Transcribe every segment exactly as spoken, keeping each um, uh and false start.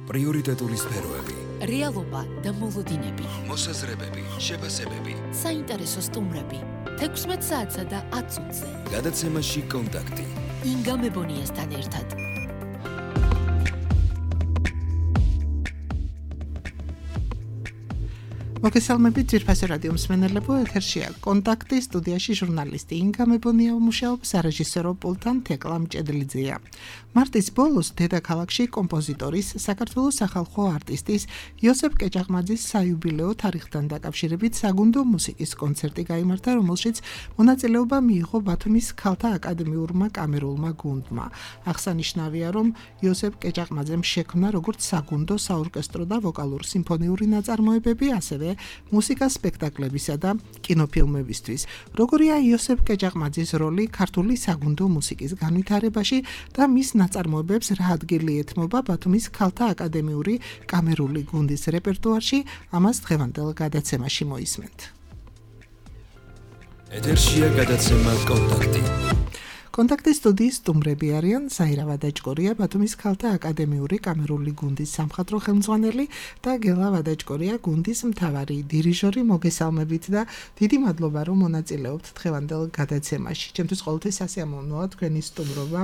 პრიორიტეტული სფეროები, რეალობა და მოლოდინები, მოსაზრებები, შეფასებები, საინტერესო სტუმრები, თექვსმეტ საათსა და ათ წუთზე. გადაცემაში კონტაქტი. ინგა მებონიასთან ერთად. მოგესალმებით ძვირფასი რადიო მსმენელებო, ეთერშია კონტაქტი, სტუდიაში ჟურნალისტი ინგა მებონია მუშაობს, სარეჟისორო პულტთან თეკლა მჭედლიძეა. მარტის ბოლოს დედაქალაქში კომპოზიტორის, საქართველოს სახალხო არტისტის იოსებ კეჭაყმაძის საიუბილეო თარიღთან დაკავშირებით საგუნდო მუსიკის კონცერტი გაიმართა, რომელშიც მონაწილეობა მიიღო ბათუმის ქალთა აკადემიურმა კამერულმა გუნდმა. აღსანიშნავია, რომ იოსებ კეჭაყმაძემ შექმნა როგორც საგუნდო, საორკესტრო და ვოკალურ სიმფონიური ნაწარმოებები, ასევე მუსიკა სპექტაკლებისა და კინოფილმებისთვის. როგორია იოსებ კეჭაყმაძის როლი ქართული საგუნდო მუსიკის განვითარებაში და მის ნაწარმოებებს რა ადგილი ეთმობა ბათუმის ქალთა აკადემიური კამერული გუნდის რეპერტუარში, ამას დღევანდელ გადაცემაში მოისმენთ. ეთერშია გადაცემა კონტაქტი. კონტაქტის სტუდიის სტუმრები არიან საირა ვადაჭკორია, ბათუმის ქალთა აკადემიური კამერული გუნდის სამხატვრო ხელმძღვანელი და გელა ვადაჭკორია, გუნდის მთავარი დირიჟორი. მოგესალმებით და დიდი მადლობა, რომ მონაწილეობთ დღევანდელ გადაცემაში. ჩემთვის ყოველთვის სასიამოვნოა თქვენი სტუმრობა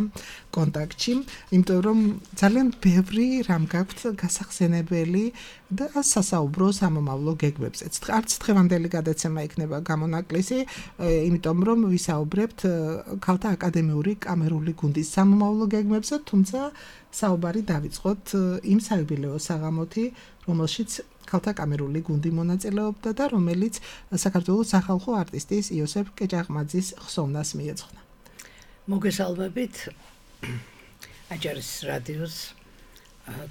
კონტაქტში, იმიტომ რომ ძალიან ბევრი რამ გაქვთ გასახსენებელი და სასაუბრო სამომავლო გეგმებზეც. არც დღევანდელი გადაცემა იქნება გამონაკლისი, იმიტომ რომ ვისაუბრებთ ქალთა აკადემიური კამერული გუნდის სამომავლო გეგმებზე, თუმცა საუბარი დავიწყოთ იმ საიუბილეო საღამოთი, რომელშიც ქალთა კამერული გუნდი მონაწილეობდა და რომელიც საქართველოს სახალხო არტისტის იოსებ კეჭაყმაძის ხსოვნას მიეძღვნა. მოგესალმებით აჯარის რადიოს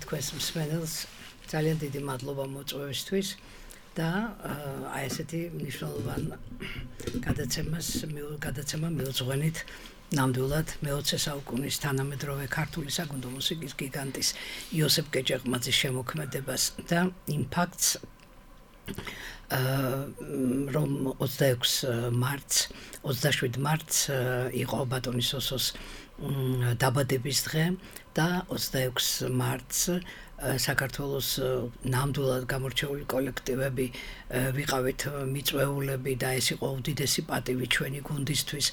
თქვენს მსმენელს, ძალიან დიდი მადლობა მოწვევისთვის და აი ესეთი მნიშვნელოვანი გადაცემას გადაცემა მივუძღვენით ნამდვილად მეოცე საუკუნის თანამედროვე ქართული საგუნდო მუსიკის გიგანტის იოსებ კეჭაყმაძის შემოქმედებას და იმ ფაქტს, რომ ოცდაექვსი მარტს, ოცდაშვიდი მარტს იყო ბატონის ოსოს დაბადების დღე და ოცდაექვსი მარტს საქართველოს ნამდვილად გამორჩეული კოლექტივები ვიყავით მიწვეულები და ეს იყო უდიდესი პატივი ჩვენი გუნდისთვის,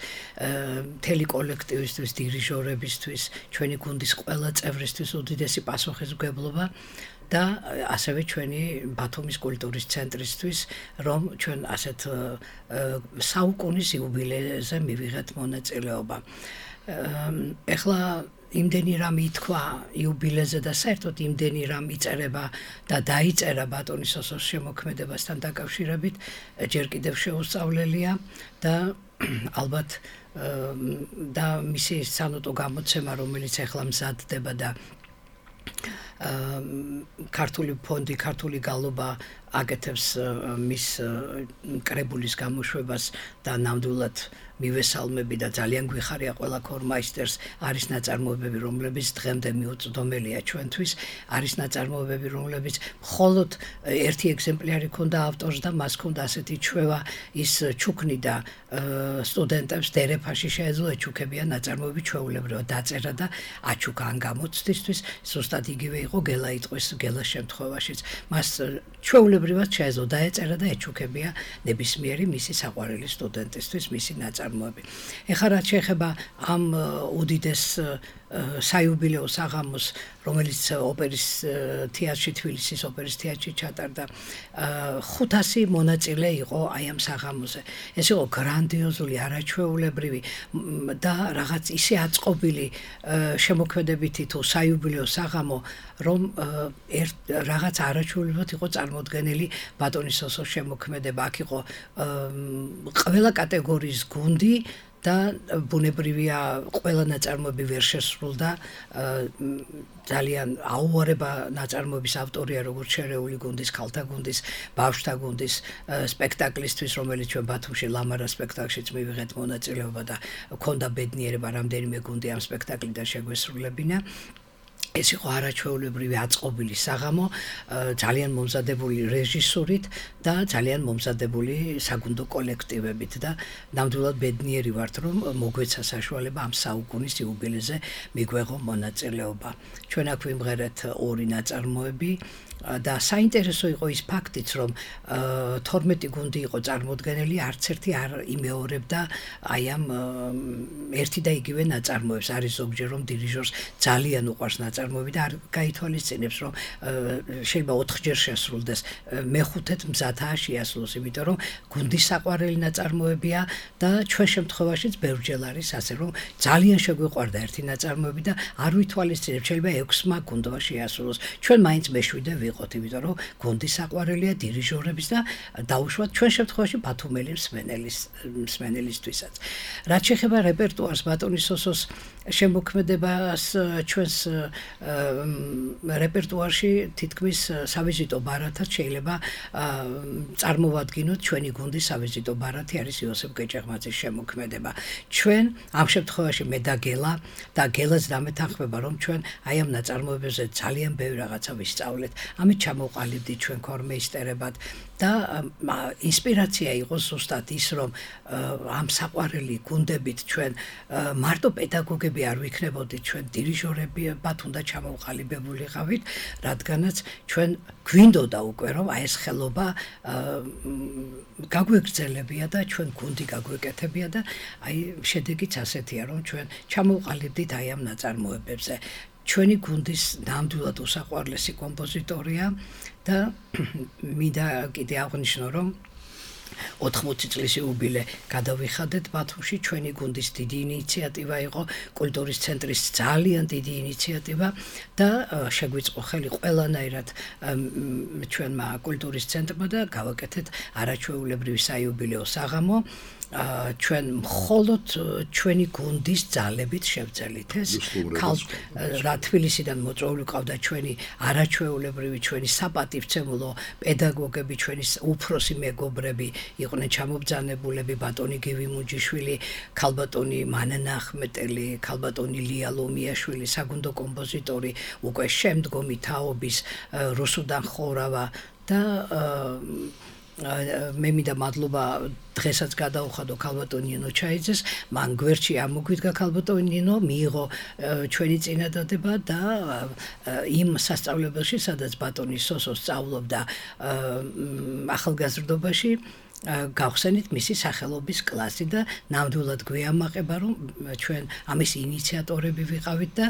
მთელი კოლექტივისთვის, დირიჟორებისთვის, ჩვენი გუნდის ყველა წევრისთვის უდიდესი პასუხისმგებლობა და ასევე ჩვენი ბათუმის კულტურის ცენტრისთვის, რომ ჩვენ ასეთ საუკუნის იუბილეზე მივიღეთ მონაწილეობა. ეხლა იმდენი რამ ითქვა იუბილეზე და საერთოდ იმდენი რამ იწერება და დაიწერა ბატონის ოსოს შემოქმედებასთან დაკავშირებით, ჯერ კიდევ შეუსწავლელია და ალბათ და მისი სანოტო გამოცემა, რომელიც ეხლა მზადდება და ქართული ფონდი, ქართული გალობა აკეთებს მის კრებულის გამოშვებას და ნამდვილად მივესალმები და ძალიან გვიხარია ყველა ქორმაისტერს. არის ნაწარმოებები, რომლებიც დღემდე მიუწვდომელია ჩვენთვის, არის ნაწარმოებები, რომლებიც მხოლოდ ერთი ეგზემპლიარი ქონდა ავტორს და მას ქონდა ასეთი ჩვევა, ის ჩუქნიდა სტუდენტებს დერეფაში შეეძლო ეჩუქებიან ნაწარმოები ჩვეულებრივად დაწერა და აჩუქა ან გამოცდისთვის, ზუსტად იგივე იყო გელა იტყვის გელას შემთხვევაშიც. მას ჩვეულებრივად შეეძლო დაეწერა და ეჩუქებია ნებისმიერი მისი საყვარელი სტუდენტისთვის მისი ნაწარმოები. ეხლა რაც შეეხება ამ უდიდეს საიუბილეო საღამოს, რომელიც ოპერის თეატრში, თბილისის ოპერის თეატრში ჩატარდა, ხუთასი მონაწილე იყო აი ამ საღამოზე. ეს იყო გრანდიოზული, არაჩვეულებრივი და რაღაც ისე აწყობილი შემოქმედებითი თუ საიუბილეო საღამო, რომ რაღაც არაჩვეულებრივად იყო წარმოდგენილი ბატონის ოსოს შემოქმედება. აქ იყო ყველა კატეგორიის გუნდი და ბუნებრივია ყველა ნაწარმოები ვერ შესრულდა, ძალიან აუარება ნაწარმოების ავტორია როგორც შერეული გუნდის, ქალთა გუნდის, ბავშვთა გუნდის სპექტაკლისთვის, რომელიც ჩვენ ბათუმში ლამარა სპექტაკლშიც მივიღეთ მონაწილეობა და ქონდა ბედნიერება რამდენიმე გუნდი ამ სპექტაკლიდან შეგვესრულებინა. ეს იყო არაჩვეულებრივი აწყობილი საღამო, ძალიან მომზადებული რეჟისურით და ძალიან მომზადებული საგუნდო კოლექტივებით და ნამდვილად ბედნიერი ვართ, რომ მოგვეცა საშუალება ამ საუკუნის იუბილეზე მიგვეღო მონაწილეობა. ჩვენ აქ ვიმღერეთ ორი ნაწარმოები და საინტერესო იყო ის ფაქტიც, რომ თორმეტი გუნდი იყო წარმოდგენილი, არც ერთი არ იმეორებდა აი ამ ერთი და იგივე ნაწარმოებს. არის ზოგჯერ რომ დირიჟორს ძალიან უყვარს ნაწარმოები და არ გაითვალისწინებს, რომ შეიძლება ოთხჯერ შესრულდეს, მეხუთედ მზადაა შეასრულოს, იმიტომ რომ გუნდის საყვარელი ნაწარმოებია და ჩვენ შემთხვევაშიც ბევრჯერ არის ასე, რომ ძალიან შეგვიყვარდა ერთი ნაწარმოები და არ ვითვალისწინებთ, შეიძლება ექვსმა გუნდმა შეასრულოს. ჩვენ მაინც მეშვიდე ვიყოთ, იმიტომ რომ გუნდის საყვარელია დირიჟორების და დაუშვათ ჩვენ შემთხვევაში ბათუმელი მსმენელის მსმენელისთვისაც. რაც შეეხება რეპერტუარს, ბატონი სოსოს შემოქმედებას, ჩვენს რეპერტუარში თითქმის სავიზიტო ბარათად შეიძლება წარმოვადგინოთ ჩვენი გუნდის სავიზიტო ბარათი არის იოსებ გეჭეღმაძის შემოქმედება. ჩვენ ამ შემთხვევაში მე და გელა და გელაც დამეთანხმება, რომ ჩვენ აი ამ ნაწარმოებებზე ძალიან ბევრი რაღაცა ვისწავლეთ. ამით ჩამოვყალიბდით ჩვენ ქორმეისტერებად და ინსპირაცია იყო ზუსტად ის, რომ ამ საყვარელი გუნდებით ჩვენ მარტო პედაგოგები არ ვიქნებოდით, ჩვენ დირიჟორები ბათ უნდა ჩამოვყალიბებულიყავით, რადგანაც ჩვენ გვინდოდა უკვე რომ აი ეს ხელობა გაგვეგრძელებია და ჩვენ გუნდი გაგვეკეთებია და აი შედეგიც ასეთია, რომ ჩვენ ჩამოვყალიბდით აი ამ ნაწარმოებებზე. ჩვენი გუნდის ნამდვილად უსაყვარლესი კომპოზიტორია და მინდა კიდე აღვნიშნო, რომ ოთხმოცი წლის იუბილე გადავიხადეთ ბათუმში. ჩვენი გუნდის დიდი ინიციატივა იყო, კულტურის ცენტრის ძალიან დიდი ინიციატივა და შეგვიწყო ხელი ყველანაირად ჩვენმა კულტურის ცენტრმა და გავაკეთეთ არაჩვეულებრივი საიუბილეო საღამო. ჩვენ მხოლოდ ჩვენი გუნდის ძალებით შევძელით ეს რა თბილისიდან მოწვეული ყავდა ჩვენი არაჩვეულებრივი ჩვენი საპატივცემულო პედაგოგები, ჩვენი უფროსი მეგობრები იყვნენ ჩამობძანებულები, ბატონი გივი მუჯიშვილი, ქალბატონი მანანა ახმეტელი, ქალბატონი ლია ლომიაშვილი, საგუნდო კომპოზიტორი, უკვე შემდგომი თაობის რუსუდან ხორავა და მე მინდა მადლობა დღესაც გადაუხადო ქალბატონ ნინო ჩაიძეს, მან გვერდში ამოგვიდგა ქალბატონ ნინო, მიიღო ჩვენი წინადადება და იმ სასწავლებელში, სადაც ბატონი სოსო სწავლობდა ახალგაზრდობაში, გავხსენით მისი სახელობის კლასი და ნამდვილად გვიამაყება, რომ ჩვენ ამის ინიციატორები ვიყავით და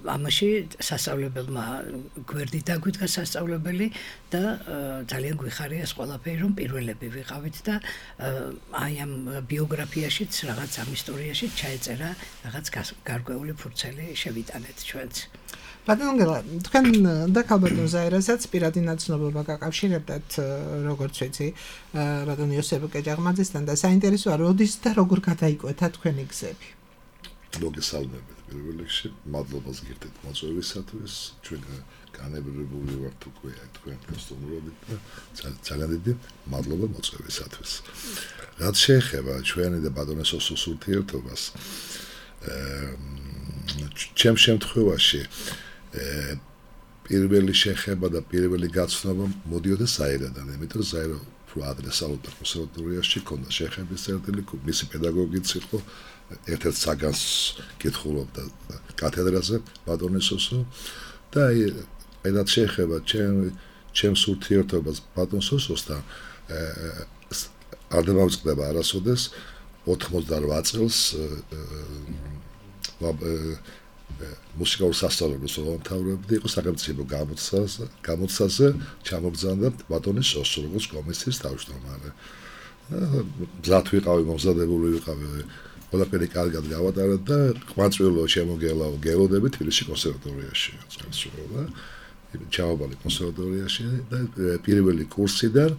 ამაში სასწავლებელმა გვერდით დაგვიდგა სასწავლებელი და ძალიან გვიხარია ეს ყველაფერი, რომ პირველები ვიყავით და აი ამ ბიოგრაფიაშიც რაღაც ამ ისტორიაში ჩაეწერა რაღაც გარკვეული ფურცელი შევიტანეთ ჩვენც. ბატონო გელა, თქვენ და ქალბატონ ზაირასაც პირადი ნაცნობობა გაკავშირებდათ, როგორც ვიცი, ბატონ იოსებ გეჭეღმაძესთან და საინტერესოა, როდის და როგორ გადაიკვეთა თქვენი გზები? მოგესალმებით პირველ რიგში, მადლობას გირდეთ მოწვევისათვის, ჩვენ განებრებული ვართ უკვე თქვენ გასტუმრობით და ძალიან დიდი მადლობა მოწვევისათვის. რაც შეეხება ჩვენი და ბატონი სოსოს ურთიერთობას, ჩემ შემთხვევაში პირველი შეხება და პირველი გაცნობა მოდიოდა ზაირადან, იმიტომ რომ ზაირა უფრო ადრე სწავლობდა კონსერვატორიაში, ქონდა შეხების წერტილი, მისი პედაგოგიც იყო, ერთ-ერთ საგანს კითხულობდა კათედრაზე ბატონი სოსო და აი რაც შეეხება ჩემს ურთიერთობას ბატონ სოსოსთან არ დამავიწყდება არასოდეს ოთხმოცდაოთხ წელს მუსიკალურ სასწავლებელს ვამთავრებდი, იყო სახელმწიფო გამოცდაზე ჩამოგზავნდა ბატონი სოსო, როგორც კომისიის თავმჯდომარე. მზად ვიყავი, მომზადებული ვიყავი, ყველაფერი კარგად გავატარეთ და ყვაწვილო შემოგელაო გელოდები თბილისში კონსერვატორიაში წასულა. ჩავაბალი კონსერვატორიაში და პირველი კურსიდან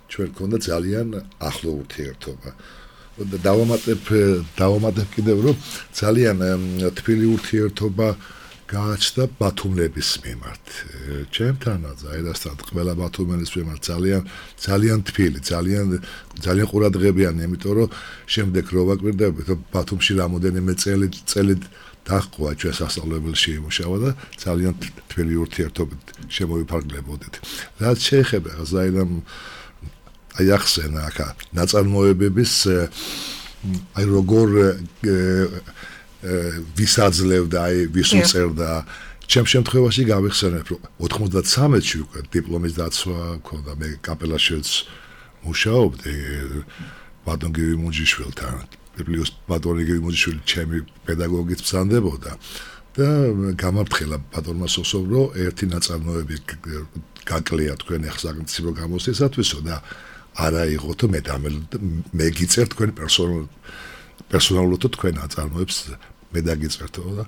ჩვენ გქონდა ძალიან ახლო ურთიერთობა. და დავამატებ დავამატებ კიდევ რომ ძალიან თბილი ურთიერთობა გააჩნდა ბათუმლების მიმართ. ჩემთანაც აერასთან ყველა ბათუმელის მიმართ ძალიან ძალიან თბილი, ძალიან ძალიან ყურადღებიანი, იმიტომ რომ შემდეგ რო ვაკვირდებით, ბათუმში რამოდენიმე წელი წელი დაჰყვა ჩვენ სასწავლებელში იმუშავა და ძალიან თბილი ურთიერთობით შემოვიფარგლებოდით. რაც შეეხება ზაირამ აი ახსენა ახლა ნაწარმოებების აი როგორ ვისაძლევდა აი ვის უწერდა ჩემ შემთხვევაში გავიხსენებ რომ ოთხმოცდათსამეთში უკვე დიპლომის დაცვა მქონდა მე კაპელაშვილს მუშაობდი ბატონ გივი მუნჯიშვილთან პლუს ბატონი გივი მუნჯიშვილი ჩემი პედაგოგიც ბრძანდებოდა და გამართხელა ბატონმა სოსომ რომ ერთი ნაწარმოები გაკლია თქვენ ახლა სახელმწიფო გამოსვლისათვისო და არა იყოთ მე მე გიწერ თქვენ პერსონალ პერსონალურად თქვენ ნაწარმოებს მე დაგიწერთო და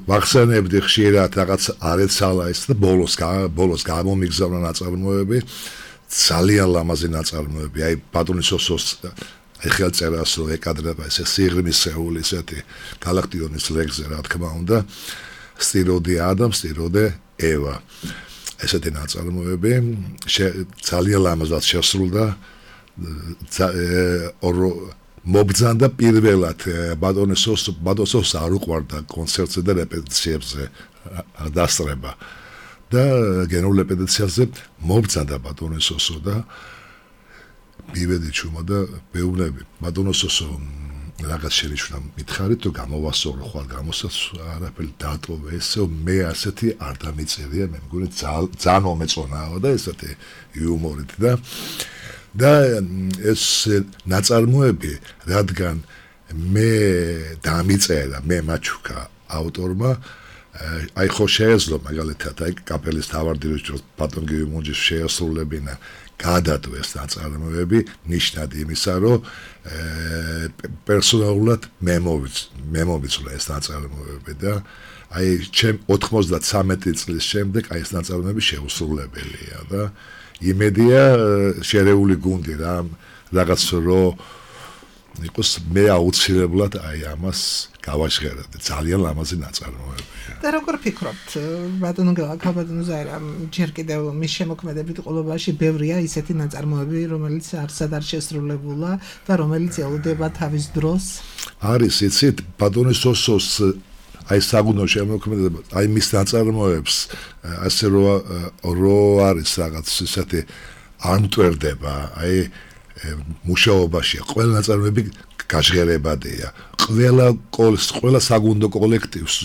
ვახსენებდი ხშირად რაღაც არეცალა ის და ბოლოს ბოლოს გამომიგზავნა ნაწარმოები ძალიან ლამაზი ნაწარმოები აი ბატონის სოსოს აი ხელწერას რო ეკადრება ესე სიღრმისეული ესეთი გალაქტიონის ლეგზე რა თქმა უნდა სტიროდე ადამ სტიროდე ევა ესეთი ნაწარმოები ძალიან ლამაზად შესრულდა ორო მობძანდა პირველად ბატონის სოს ბატონის სოს არ უყვარდა კონცერტზე და რეპეტიციებზე დასწრება და გენერალურ რეპეტიციაზე მობძანდა ბატონის სოსო და მივედი ჩუმა და მეუბნები ბატონის სოსო რაღაც შენიშნა მითხარით თუ გამოვასწორო ხვალ გამოსას არაფერი დატოვე ესო მე ასეთი არ დამიწერია მე მგონი ძალიან მომეწონაო და ესეთი იუმორით და და ეს ნაწარმოები რადგან მე დამიწერა მე მაჩუკა ავტორმა აი ხო შეეძლო მაგალითად აი კაპელის თავარდიროს ბატონ გივი მუნჯის შეასრულებინა გადადო ეს ნაწარმოები ნიშნად იმისა რომ პერსონალურად მე მომიცვლა ეს ნაწარმოები და აი ჩემ ოთხმოცდათსამეტი წლის შემდეგ აი ეს ნაწარმოები შეუსრულებელია და იმედია შერეული გუნდი რა რაღაც რო იყოს მე აუცილებლად აი ამას გავაჟღერებ ძალიან ლამაზი ნაწარმოებია და როგორ ფიქრობთ ბატონო გალაკაბატონო ზაირამ ჯერ კიდევ მის შემოქმედებით ყოლობაში ბევრია ისეთი ნაწარმოები რომელიც არცად არ შესრულებულა და რომელიც ელოდება თავის დროს არის იცით ბატონის სოსოს აი საგუნდო შემოქმედება აი მის ნაწარმოებს ასე რო რო არის რაღაც ისეთი ანტვერდება აი მუშაობაში ყველა ნაწარმოები გაჟღერებადია ყველა ყველა საგუნდო კოლექტივს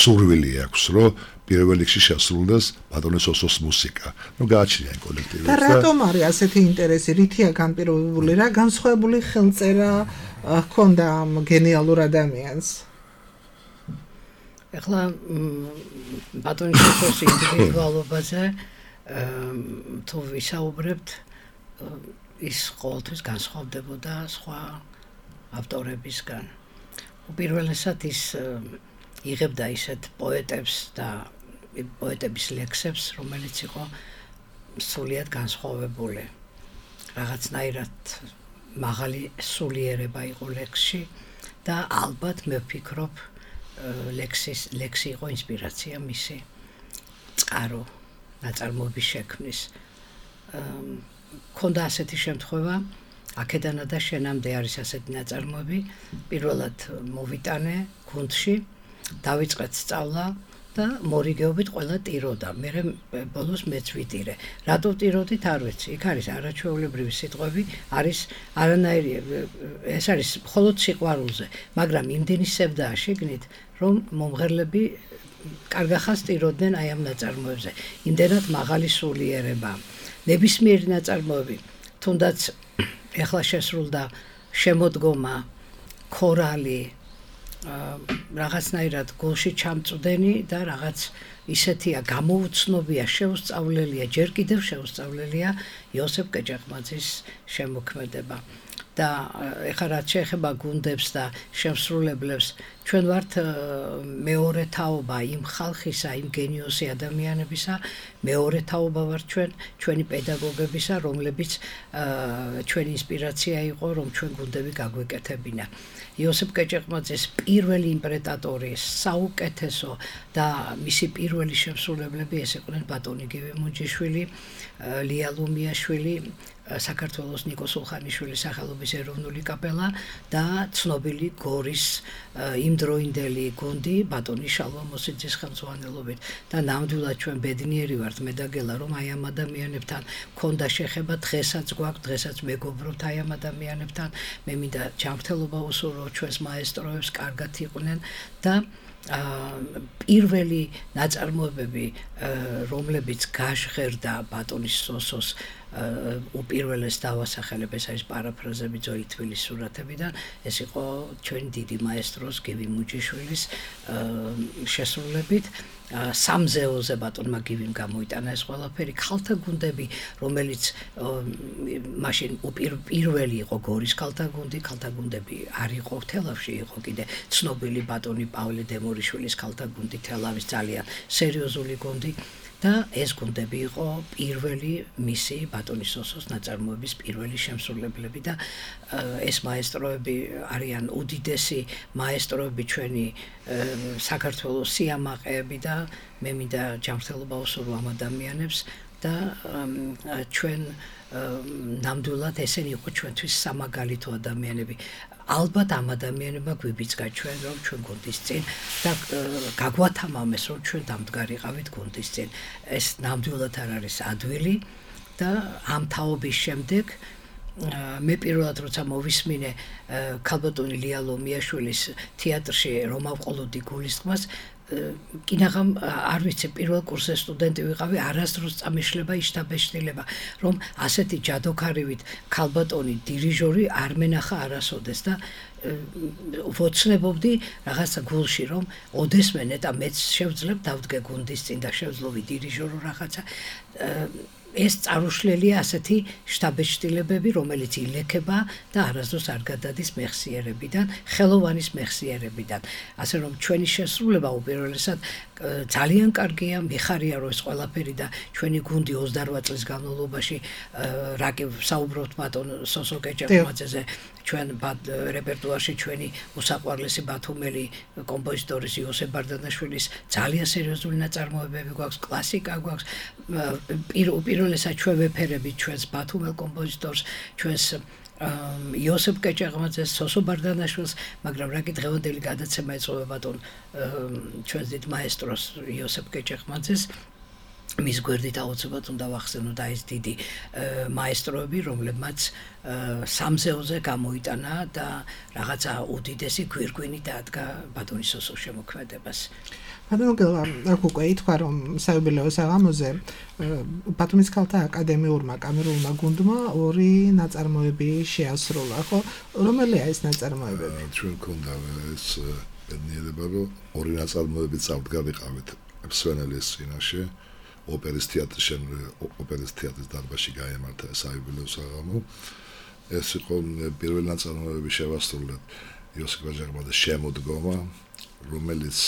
სურვილი აქვს რომ პირველ რიგში შესრულდეს ბატონის სოსოს მუსიკა ნუ გააჩნია იმ კოლექტივებს და რატომ არის ასეთი ინტერესი რითია განპირობებული რა განსხვავებული ხელწერა ჰქონდა ამ გენიალურ ადამიანს ეხლა ბატონის სოსოს ინდივიდუალობაზე თუ ვისაუბრებთ ის ყოველთვის განსხვავდებოდა სხვა ავტორებისგან. უპირველესად ის იღებდა ისეთ პოეტებს და პოეტების ლექსებს, რომელიც იყო სულიად განსხვავებული. რაღაცნაირად მაღალი სულიერება იყო ლექსში და ალბათ მე ვფიქრობ ლექსის ლექსი იყო ინსპირაცია მისი წყარო ნაწარმოების შექმნის. ქონდა ასეთი შემთხვევა, აქედანა და შენამდე არის ასეთი ნაწარმოები, პირველად მოვიტანე გუნდში, დავიწყეთ სწავლა და მორიგეობით ყველა ტიროდა. მე ბოლოს მეც ვიტირე. რატო ტიროდით არ ვიცი. იქ არის არაჩვეულებრივი სიტყვები, არის არანაირი ეს არის მხოლოდ სიყვარულზე, მაგრამ იმდენი სევდაა შიგნით, რომ მომღერლები კარგახას ტიროდნენ აი ამ ნაწარმოებზე. იმდენად მაღალი სულიერება. ნებისმიერი ნაწარმოები, თუნდაც ეხლა შესრულდა შემოდგომა, ქორალი, რაღაცნაირად გულში ჩამწვდენი და რაღაც ისეთია გამოუცნობია, შეუსწავლელია, ჯერ კიდევ შეუსწავლელია იოსებ კეჭაყმაძის შემოქმედება. და ეხლა რაც შეეხება გუნდებს და შემსრულებლებს, ჩვენ ვართ მეორე თაობა იმ ხალხისა, იმ გენიოსი ადამიანებისა, მეორე თაობა ვართ ჩვენ, ჩვენი პედაგოგებისა, რომლებიც ჩვენი ინსპირაცია იყო, რომ ჩვენ გუნდები გაგვეკეთებინა. იოსებ კეჭაყმაძის პირველი იმპრეტატორი, საუკეთესო და მისი პირველი შემსრულებლები ეს იყვნენ ბატონი გივი მუნჯიშვილი, ლია ლუმიაშვილი, საქართველოს ნიკო სულხანიშვილის სახელობის ეროვნული კაპელა და ცნობილი გორის იმ იმდროინდელი გუნდი ბატონი შალვა მოსიძის ხელმძღვანელობით და ნამდვილად ჩვენ ბედნიერი ვართ მედაგელა რომ აი ამ ადამიანებთან ქონდა შეხება დღესაც გვაქვს დღესაც მეგობრობთ აი ამ ადამიანებთან მე მინდა ჯანმრთელობა უსურვო ჩვენს მაესტროებს კარგად იყვნენ და პირველი ნაწარმოებები რომლებიც გაჟღერდა ბატონის სოსოს უპირველეს დავასახელებ ეს არის პარაფრაზები ძოი თბილის სურათებიდან ეს იყო ჩვენი დიდი მაესტროს გივი მუჯიშვილის შესრულებით სამზეოზე ბატონმა გივიმ გამოიტანა ეს ყველაფერი ქალთა გუნდები რომელიც მაშინ პირველი იყო გორის ქალთა გუნდი ქალთა გუნდები არ იყო თელავში იყო კიდე ცნობილი ბატონი პავლე დემორიშვილის ქალთა გუნდი თელავის ძალიან სერიოზული გუნდი და ეს გუნდები იყო პირველი მისი ბატონის სოსოს ნაწარმოების პირველი შემსრულებლები და ეს მაესტროები არიან უდიდესი მაესტროები ჩვენი საქართველოს სიამაყეები და მე მინდა ჯანმრთელობა უსურვო ამ ადამიანებს და ჩვენ ნამდვილად ესენი იყო ჩვენთვის სამაგალითო ადამიანები ალბათ ამ ადამიანებმა გვიბიძგა ჩვენ რომ ჩვენ გუნდის წინ და გაგვათამამეს რომ ჩვენ დამდგარიყავით გუნდის წინ ეს ნამდვილად არ არის ადვილი და ამ თაობის შემდეგ მე პირველად როცა მოვისმინე ქალბატონი ლია ლომიაშვილის თეატრში რომავყოლოდი გულისწყმას კინაღამ არ ვიცი პირველ კურსზე სტუდენტი ვიყავი არასდროს წამიშლება იშტაბეშტილება რომ ასეთი ჯადოქარივით ქალბატონი დირიჟორი არ მენახა არასოდეს და ვოცნებობდი რაღაცა გულში რომ ოდესმე ნეტა მეც შევძლებ დავდგე გუნდის წინ და შევძლო ვიდირიჟორო რაღაცა ეს წარუშლელია ასეთი შტაბეშტილებები რომელიც ილექება და არასდროს არ გადადის მეხსიერებიდან ხელოვანის მეხსიერებიდან ასე რომ ჩვენი შესრულება უპირველესად ძალიან კარგია მიხარია რომ ეს ყველაფერი და ჩვენი გუნდი ოცდარვა წლის განმავლობაში რაკი საუბრობთ ბატონ სოსო კეჭეყმაძეზე ჩვენ რეპერტუარში ჩვენი უსაყვარლესი ბათუმელი კომპოზიტორის იოსებ ბარდანაშვილის ძალიან სერიოზული ნაწარმოებები გვაქვს კლასიკა გვაქვს უპირველესად ჩვენ ვეფერებით ჩვენს ბათუმელ კომპოზიტორს ჩვენს იოსებ კეჭეყმაძეს სოსო ბარდანაშვილს მაგრამ რაკი დღევანდელი გადაცემა ეწოება ბატონ ჩვენს დიდ მაესტროს იოსებ კეჭეყმაძეს მის გვერდით აუცილებლად უნდა ვახსენო და ეს დიდი მაესტროები რომლებმაც სამზეოზე გამოიტანა და რაღაცა უდიდესი გვირგვინი დაადგა ბატონის სოსოს შემოქმედებას ბატონგელა აქ უკვე ითქვა რომ საიუბილეო საღამოზე ბათუმის ქალთა აკადემიურმა კამერულმა გუნდმა ორი ნაწარმოები შეასრულა ხო რომელია ეს ნაწარმოებები ჩვენ გქონდა ეს ბედნიერება რომ ორი ნაწარმოები წავდგარიყავით მსვენელის წინაშე ოპერის თეატრში ოპერის თეატრის დარბაზში გაემართა საიუბილეო საღამო ეს იყო პირველი ნაწარმოები შევასრულეთ იოსებ კეჭეყმაძის შემოდგომა რომელიც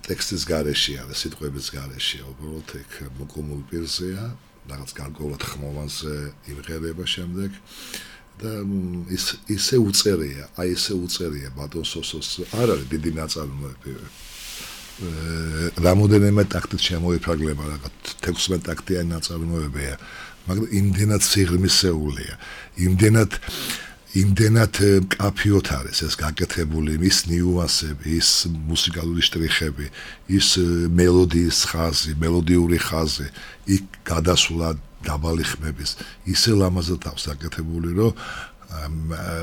ტექსტის გარეშე არის სიტყვების გარეშე უბრალოდ ეგ მოკომულ პირზეა რაღაც გარკვეულად ხმოვანზე იმღერება შემდეგ და ის ისე უწერია აი ისე უწერია ბატონ სოსოს არ არის დიდი ნაწარმოები რამოდენიმე ტაქტით შემოიფარგლება რაღაც თექვსმეტ ტაქტიანი ნაწარმოებია მაგრამ იმდენად სიღრმისეულია იმდენად იმდენად კაფიოთ არის ეს გაკეთებული ის ნიუანსები ის მუსიკალური შტრიხები ის მელოდიის ხაზი მელოდიური ხაზი იქ გადასვლა დაბალი ხმების ისე ლამაზად აქვს გაკეთებული რომ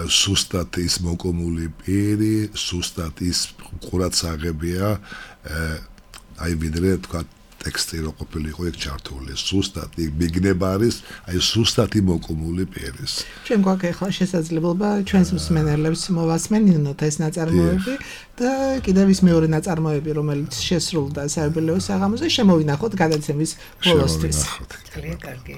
სუსტად ის მოკომული პირი სუსტად ის ყურადსაღებია აი ვიდრე თქვა ტექსტი რო ყოფილიყო ეგ ჩართული სუსტად მიგნება არის აი სუსტად მოკომული პირის ჩვენ გვაქვს ახლა შესაძლებლობა ჩვენს მსმენელებს მოვასმენინოთ ეს ნაწარმოები და კიდევ ის მეორე ნაწარმოები რომელიც შესრულდა საიუბილეო საღამოზე შემოვინახოთ გადაცემის ბოლოსთვის ძალიან კარგი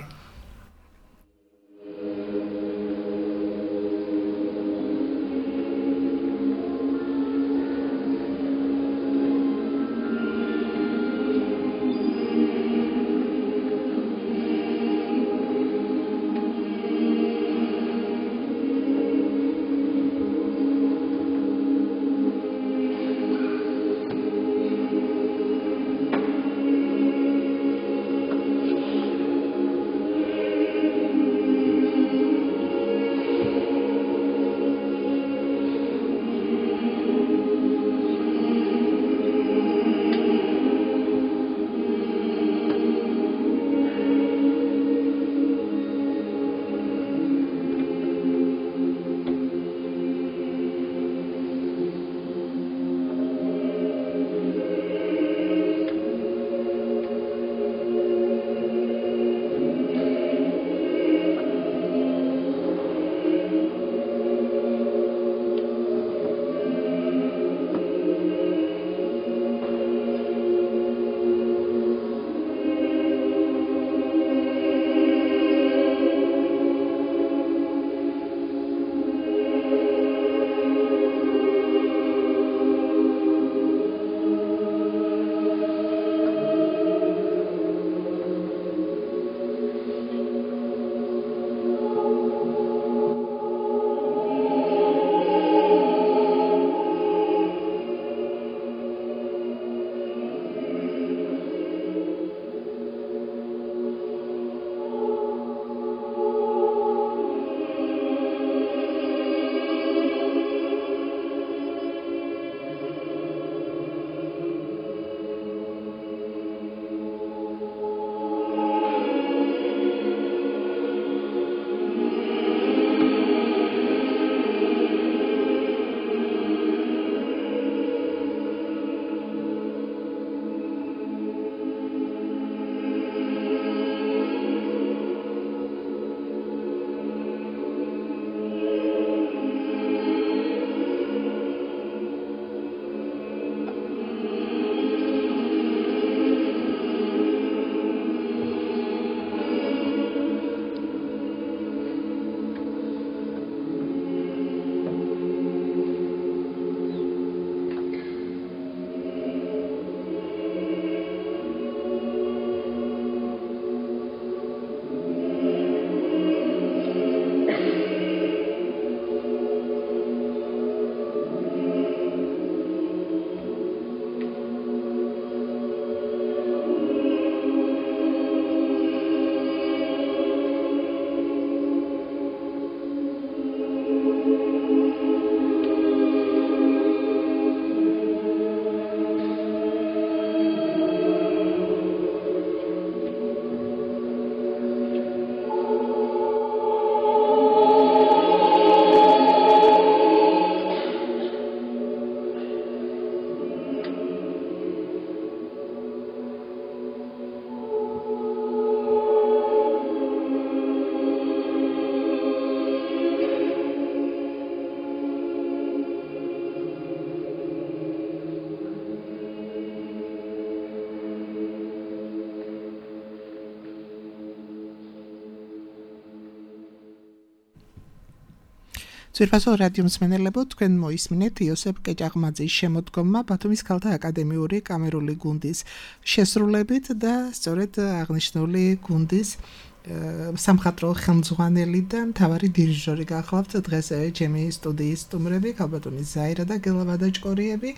ძვირფასო რადიო მსმენელებო, თქვენ მოისმინეთ იოსებ კეჭაღმაძის შემოდგომა ბათუმის ქალთა აკადემიური კამერული გუნდის შესრულებით და სწორედ აღნიშნული გუნდის სამხატვრო ხელმძღვანელი და მთავარი დირიჟორი გახლავთ დღეს ჩემი სტუდიის სტუმრები, ქალბატონი ზაირა და გელა ვადაჭკორიები.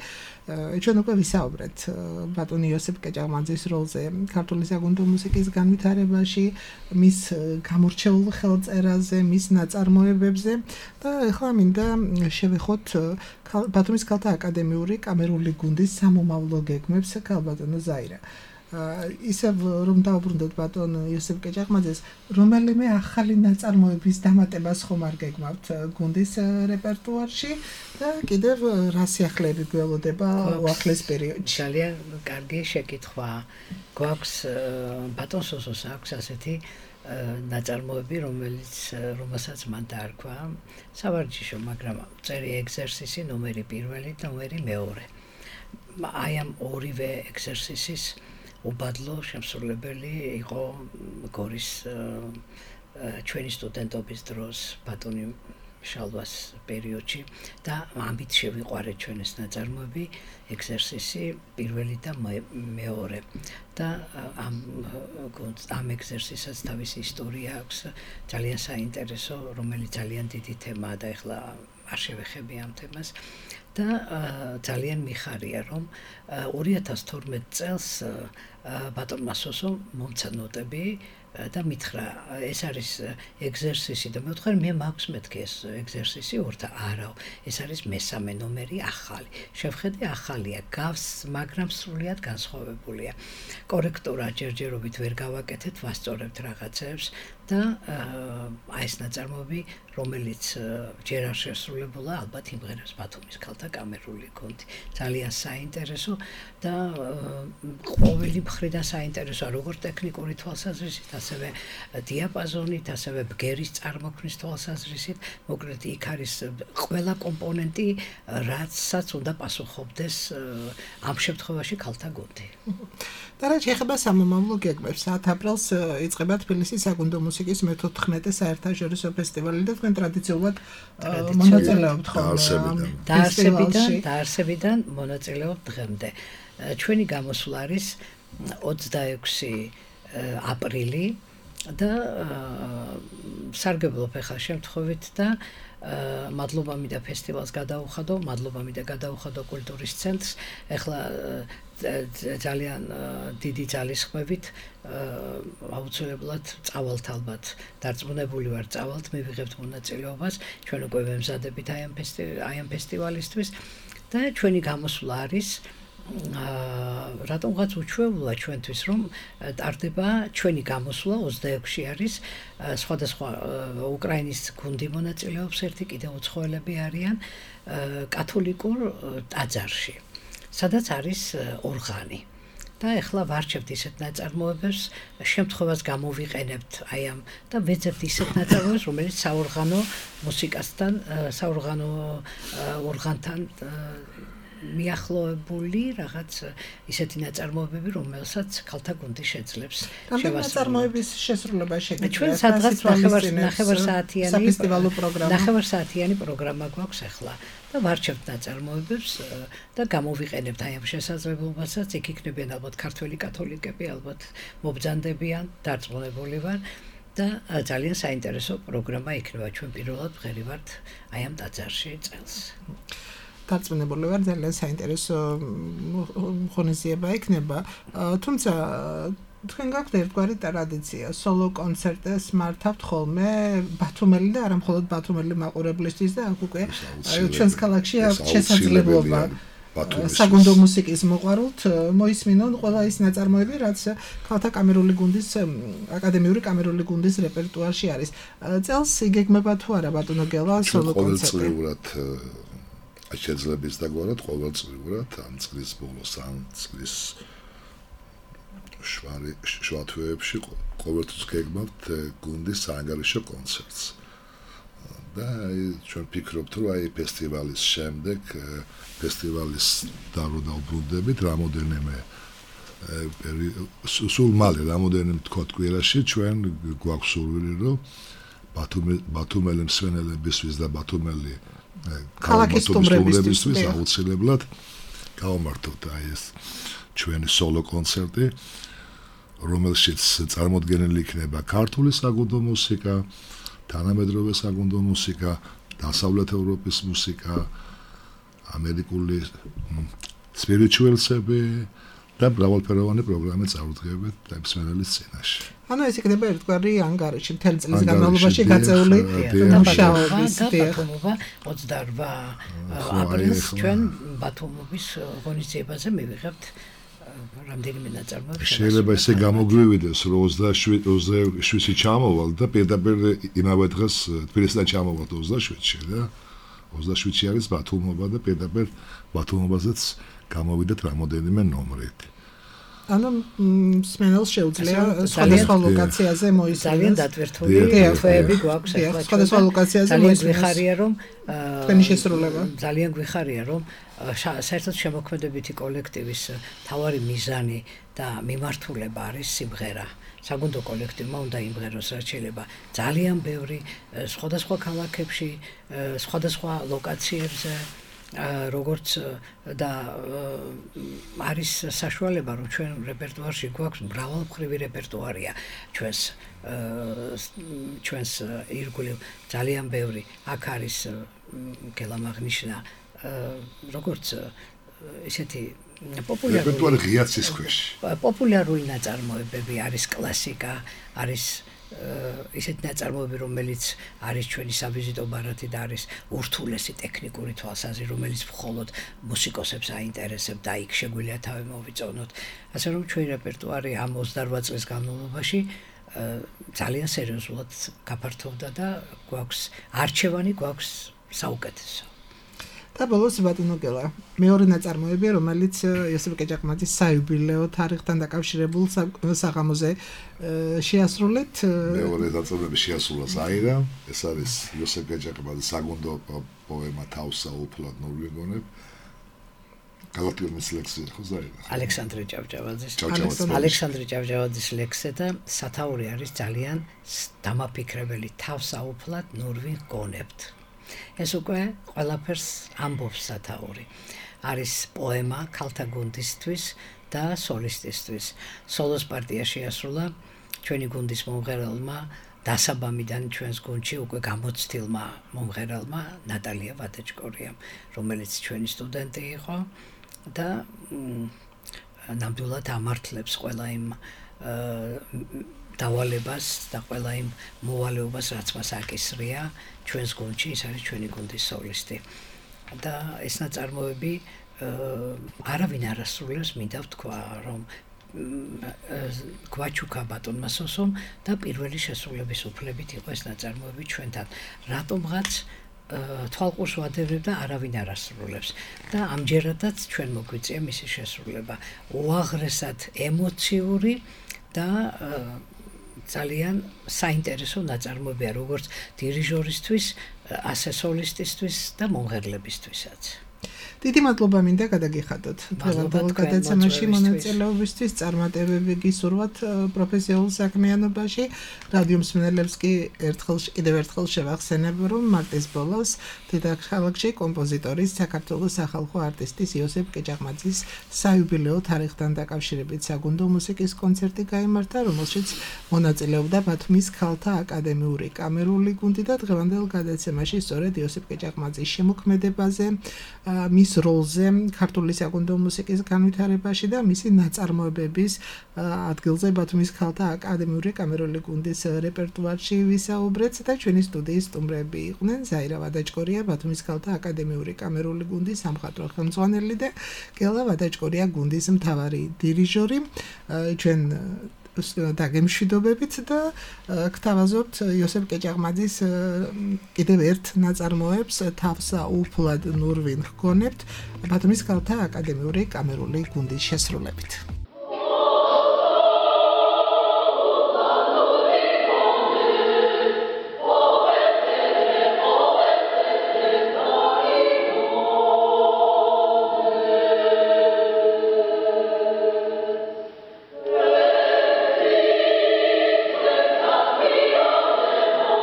ჩვენ უკვე ვისაუბრეთ ბატონი იოსებ კეჭაღმაძის როლზე ქართული საგუნდო მუსიკის განვითარებაში, მის გამორჩეულ ხელწერაზე, მის ნაწარმოებებზე და ახლა მინდა შევეხოთ ბათუმის ქალთა აკადემიური კამერული გუნდის სამომავლო გეგმებს, ქალბატონო ზაირა. ისევ რომ დავუბრუნდეთ ბატონ იოსებ კეჭაღმაძეს, რომელიმე ახალი ნაწარმოების დამატებას ხომ არ გეგმავთ გუნდის რეპერტუარში და კიდევ რა სიახლეები გველოდება უახლეს პერიოდში? ძალიან კარგი შეკითხვა. გვაქვს ბატონ სოსოს აქვს ასეთი ნაწარმოები, რომელიც რომელსაც მან დაარქვა სავარჯიშო, მაგრამ წერი ეგზერსისი ნომერი პირველი და ნომერი მეორე. აი ამ ორივე ეგზერსისის უბადლო შემსრულებელი იყო გორის ჩვენი სტუდენტობის დროს ბატონი შალვას პერიოდში და ამით შევიყვარეთ ჩვენ ეს ნაწარმოები, ეგზერსისი პირველი და მეორე და ამ ამ ეგზერსისსაც თავისი ისტორია აქვს, ძალიან საინტერესო, რომელიც ძალიან დიდი თემაა და ეხლა არ შევეხები ამ თემას. და ძალიან მიხარია, რომ ორი ათას თორმეტ წელს ბატონმა სოსომ მომცა ნოტები და მითხრა, ეს არის ეგზერსისი და მე ვთქვი, მე მაქვს მეთქი ეს ეგზერსისი ორ და არა, ეს არის მესამე ნომერი ახალი. შევხედე ახალია, გავს, მაგრამ სრულიად განსხვავებულია. კორექტურა ჯერჯერობით ვერ გავაკეთეთ, ვასწორებთ რაღაცებს და აი ეს ნაწარმოები, რომელიც ჯერ არ შესრულებულა, ალბათ იმღერებს ბათუმის ქალთა კამერული გუნდი. ძალიან საინტერესო და ყოველი მხრიდან საინტერესოა, როგორც ტექნიკური თვალსაზრისით, ასევე დიაპაზონით, ასევე ბგერის წარმოქმნის თვალსაზრისით, მოკლედ იქ არის ყველა კომპონენტი, რაცაც უნდა პასუხობდეს ამ შემთხვევაში ქალთა გუნდი. და რაც შეეხება სამომავლო გეგმებს, ათ აპრილს იწყება თბილისის საგუნდო მუსიკის მეთოთხმეტე საერთაშორისო ფესტივალი და თქვენ ტრადიციულად მონაწილეობთ ხოლმე დაარსებიდან დაარსებიდან მონაწილეობთ დღემდე. ჩვენი გამოსვლა არის ოცდაექვსი აპრილი და სარგებლობ ახლა შემთხვევით და მადლობა მინდა ფესტივალს გადაუხადო, მადლობა მინდა გადაუხადო კულტურის ცენტრს. ახლა ძალიან დიდი ძალისხმევით აუცილებლად წავალთ ალბათ, დარწმუნებული ვარ წავალთ, მივიღებთ მონაწილეობას, ჩვენ უკვე ვემზადებით აი ამ აი ამ ფესტივალისთვის და ჩვენი გამოსვლა არის რატომღაც უჩვეულა ჩვენთვის, რომ ტარდება ჩვენი გამოსვლა ოცდაექვსი არის, სხვადასხვა უკრაინის გუნდი მონაწილეობს, ერთი კიდევ უცხოელები არიან კათოლიკურ ტაძარში, სადაც არის ორღანი. და ეხლა ვარჩევთ ისეთ ნაწარმოებებს, შემთხვევას გამოვიყენებთ აი ამ და ვეძებთ ისეთ ნაწარმოებებს, რომელიც საორღანო მუსიკასთან, საორღანო ორღანთან მიახლოებული რაღაც ისეთი ნაწარმოებები, რომელსაც ქალთა გუნდი შეძლებს შევასრულოს. ნაწარმოების შესრულება შეგიძლიათ. ჩვენ სადღაც ნახევარსაათიანი საფესტივალო პროგრამა. ნახევარსაათიანი პროგრამა გვაქვს ახლა და ვარჩევთ ნაწარმოებებს და გამოვიყენებთ აი ამ შესაძლებლობასაც. იქ იქნებიან ალბათ ქართველი კათოლიკები, ალბათ მობრძანდებიან, დარწმუნებული ვარ და ძალიან საინტერესო პროგრამა იქნება. ჩვენ პირველად ვღერივართ აი ამ ტაძარში წელს. დარწმუნებული ვარ, ძალიან საინტერესო ღონისძიება იქნება. თუმცა თქვენ გაქვთ ერთგვარი ტრადიცია, სოლო კონცერტებს მართავთ ხოლმე ბათუმელი და არა მხოლოდ ბათუმელი მაყურებლისთვის და აქ უკვე ჩვენს ქალაქში აქვს შესაძლებლობა საგუნდო მუსიკის მოყვარულთ მოისმინონ ყველა ის ნაწარმოები, რაც ქალთა კამერული გუნდის აკადემიური კამერული გუნდის რეპერტუარში არის. წელს იგეგმება თუ არა ბატონო გელა სოლო კონცერტი? შეძლებს დაგვარად ყოველწლიურად ამ წლის ბოლოს ამ წლის შუათვეებში ყოველთვის გეგმავთ გუნდის საანგარიშო კონცერტს და ჩვენ ვფიქრობთ, რომ აი ფესტივალის შემდეგ ფესტივალის დაბრუნდებით რამოდენიმე სულ მალე რამოდენიმე თქო თკვილაში ჩვენ გვაქვს სურვილი, რომ ბათუმელი მსმენელებისთვის და ბათუმელი ქალაქის სტუმრებისთვის აუცილებლად გავამართოთ აი ეს ჩვენი სოლო კონცერტი, რომელშიც წარმოდგენილი იქნება ქართული საგუნდო მუსიკა, თანამედროვე საგუნდო მუსიკა, დასავლეთ ევროპის მუსიკა, ამერიკული სპირიჩუელსები და მრავალფეროვანი პროგრამა წარუდგებით მსმენელის წინაშე. ანუ ეს იქნება ერთგვარი ანგარიში მთელი წლის განმავლობაში გაწეული მუშაობის ბათუმობა ოცდაორ აპრილს ჩვენ ბათუმობის ღონისძიებაზე მივიღებთ რამდენიმე ნაწარმოები. შეიძლება ესე გამოგვივიდეს, რომ ოცდაშვიდში ჩამოვალ და პირდაპირ იმავე დღეს თბილისიდან ჩამოვალ ოცდაშვიდში და ოცდაშვიდში არის ბათუმობა და პირდაპირ ბათუმობაზეც გამოვიდეთ რამოდენიმე ნომრით. ანუ მსმენელს შეუძლია სხვადასხვა ლოკაციაზე მოისმინოს. ძალიან დატვირთული თვეები გვაქვს ახლა. სხვადასხვა ლოკაციაზე მოისმინოს. გვიხარია რომ თქვენი შესრულება. ძალიან გვიხარია რომ საერთოდ შემოქმედებითი კოლექტივის მთავარი მიზანი და მიმართულება არის სიმღერა. საგუნდო კოლექტივმა უნდა იმღეროს, რაც შეიძლება ძალიან ბევრი სხვადასხვა ქალაქებში, სხვადასხვა ლოკაციებზე როგორც და არის საშუალება რომ ჩვენ რეპერტუარში გვაქვს მრავალმხრივი რეპერტუარია ჩვენს ჩვენს ირგვლივ ძალიან ბევრი აქ არის გელამაღნიშნა როგორც ესეთი პოპულარული რეპერტუარი ღიაცის ქვეშ პოპულარული ნაწარმოებები არის კლასიკა არის ისეთი ნაწარმოები რომელიც არის ჩვენი სავიზიტო ბარათი და არის ურთულესი ტექნიკური თვალსაზრისით რომელიც მხოლოდ მუსიკოსებს აინტერესებს და იქ შეგვიძლია თავი მოვიწონოთ ასე რომ ჩვენი რეპერტუარი ამ ოცდაორ წლის განმავლობაში ძალიან სერიოზულად გაფართოვდა და გვაქვს არჩევანი გვაქვს საუკეთესო და ბოლოს ბატონო გელა მეორე ნაწარმოებია რომელიც იოსებ კეჭაყმაძის საიუბილეო თარიღთან დაკავშირებულ საღამოზე შეასრულეთ მეორე ნაწარმოები შეასრულა ზაირა ეს არის იოსებ კეჭაყმაძის საგუნდო პოემა თავსა უფლად ნურვეგონებ გალაქტიურ ლექსზე ხო ზაირა ალექსანდრე ჭავჭავაძის ალექსანდრე ჭავჭავაძის ლექსზე და სათაური არის ძალიან დამაფიქრებელი თავსა უფლად ნურვეგონებთ ეს უკვე ყველაფერს ამბობს სათაური. არის პოემა ქალთა გუნდისთვის და სოლისტისთვის. სოლოს პარტია შეასრულა ჩვენი გუნდის მომღერალმა დასაბამიდან ჩვენს გუნდში უკვე გამოცდილმა მომღერალმა ნატალია ვადაჭკორიამ, რომელიც ჩვენი სტუდენტი იყო და ნამდვილად ამართლებს ყველა იმ დავალებას და ყველა იმ მოვალეობას რაც მას აკისრია ჩვენს გუნდში ის არის ჩვენი გუნდის სოლისტი და ეს ნაწარმოები არავინ არ ასრულებს მინდა ვთქვა რომ გვაჩუქა ბატონმა სოსომ და პირველი შესრულების უფლებით იყო ეს ნაწარმოები ჩვენთან რატომღაც თვალყურს ვადევნებ და არავინ არ ასრულებს და ამჯერადაც ჩვენ მოგვიწია მისი შესრულება უაღრესად ემოციური და ძალიან საინტერესო ნაწარმოებია როგორც დირიჟორისთვის, ასე სოლისტისთვის და მომღერლებისთვისაც. დიდი მადლობა მინდა გადაგიხადოთ დღევანდელ გადაცემაში მონაწილეობისთვის წარმატებები გისურვოთ პროფესიულ საქმიანობაში რადიო მსმენელებს კი ერთხელ კიდევ ერთხელ შევახსენებ რომ მარტის ბოლოს დედაქალაქში კომპოზიტორის საქართველოს სახალხო არტისტის იოსებ კეჭაყმაძის საიუბილეო თარიღთან დაკავშირებით საგუნდო მუსიკის კონცერტი გაიმართა რომელშიც მონაწილეობდა ბათუმის ქალთა აკადემიური კამერული გუნდი და დღევანდელ გადაცემაში სწორედ იოსებ კეჭაყმაძის შემოქმედებაზე მის როლზე ქართული საგუნდო მუსიკის განვითარებაში და მისი ნაწარმოებების ადგილზე ბათუმის ქალთა აკადემიური კამერული გუნდის რეპერტუარში ვისაუბრეთ და ჩვენი სტუდიის სტუმრები იყვნენ ზაირა ვადაჭკორია ბათუმის ქალთა აკადემიური კამერული გუნდის სამხატვრო ხელმძღვანელი და გელა ვადაჭკორია გუნდის მთავარი დირიჟორი ჩვენ დაგემშვიდობებით და გთავაზობთ იოსებ კეჭაყმაძის კიდევ ერთ ნაწარმოებს თავსა უფლად ნურვინ ჰგონებთ ბათუმის ქალთა აკადემიური კამერული გუნდის შესრულებით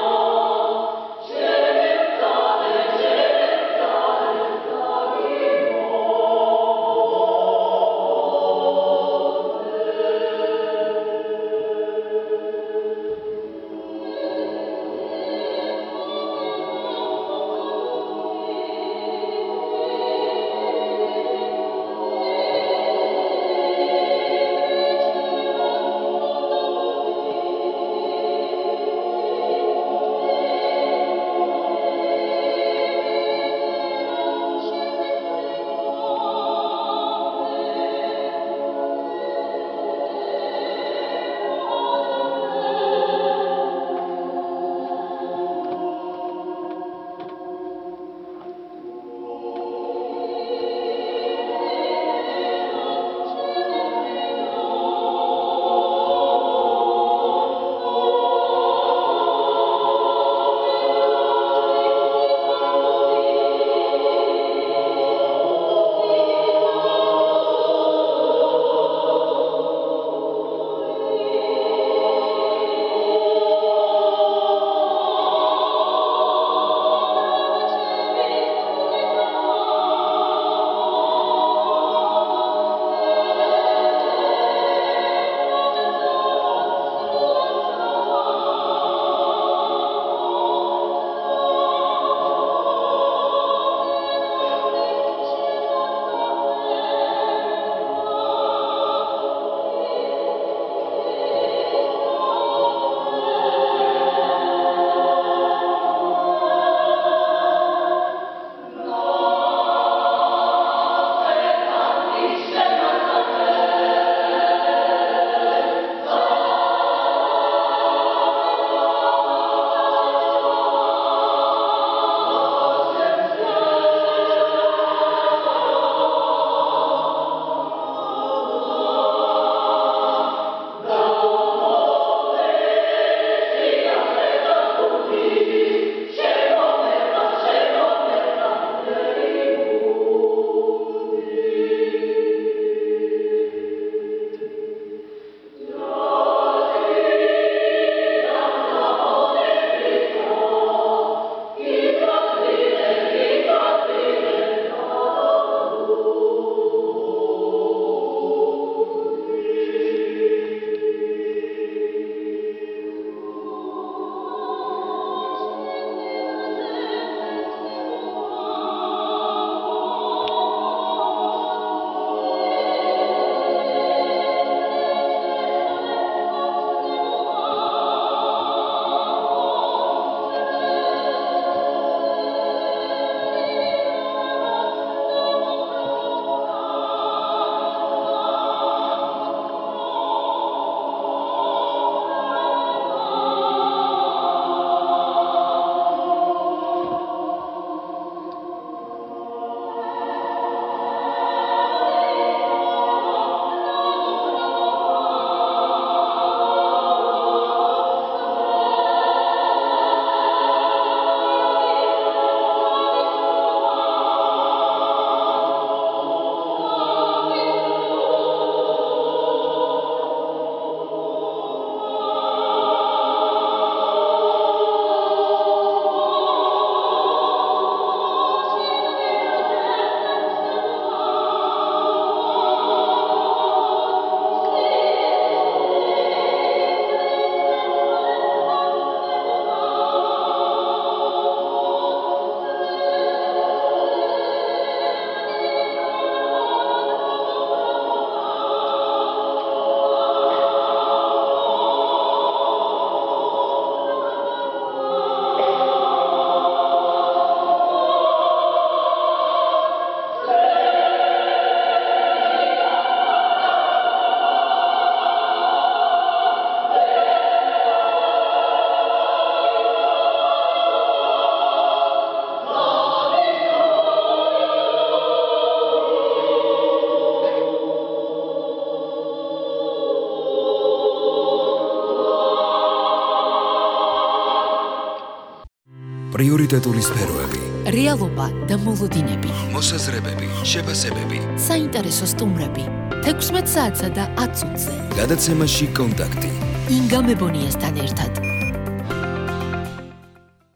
Oh პრიორიტეტული სფეროები, რეალობა და მოლოდინები, მოსაზრებები, შეფასებები. საინტერესო სტუმრები. თექვსმეტ საათსა და ათ წუთზე. გადაცემაში კონტაქტი. ინგა მებონიასთან ერთად.